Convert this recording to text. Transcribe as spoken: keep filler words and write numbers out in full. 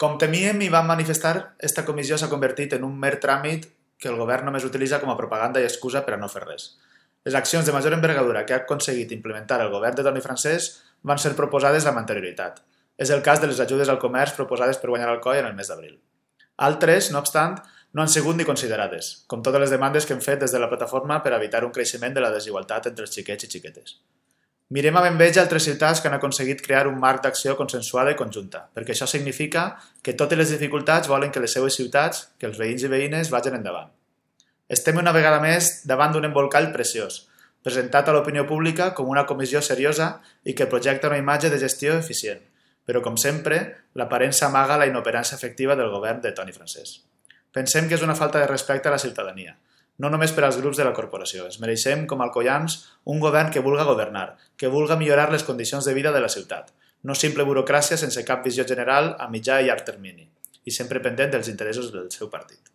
Com temíem i vam manifestar, esta comissió s'ha convertit en un mer tràmit que el govern només utilitza com a propaganda i excusa per a no fer res. Les accions de major envergadura que ha aconseguit implementar el govern de Toni Francès van ser proposades amb anterioritat. És el cas de les ajudes al comerç proposades per guanyar el C O I en el mes d'abril. Altres, no obstant, no han sigut ni considerades, com totes les demandes que hem fet des de la plataforma per evitar un creixement de la desigualtat entre els xiquets i xiquetes. Mirem amb enveja altres ciutats que han aconseguit crear un marc d'acció consensuada i conjunta, perquè això significa que totes les dificultats volen que les seues ciutats, que els veïns i veïnes vagin endavant. Estem una vegada més davant d'un embolcall preciós, presentat a l'opinió pública com una comissió seriosa i que projecta una imatge de gestió eficient, però, com sempre, l'aparença amaga la inoperància efectiva del govern de Toni Francès. Pensem que és una falta de respecte a la ciutadania, no només per als grups de la corporació. Ens mereixem, com a alcoians, un govern que vulga governar, que vulga millorar les condicions de vida de la ciutat, no simple burocràcia sense cap visió general a mitjà i llarg termini, i sempre pendent dels interessos del seu partit.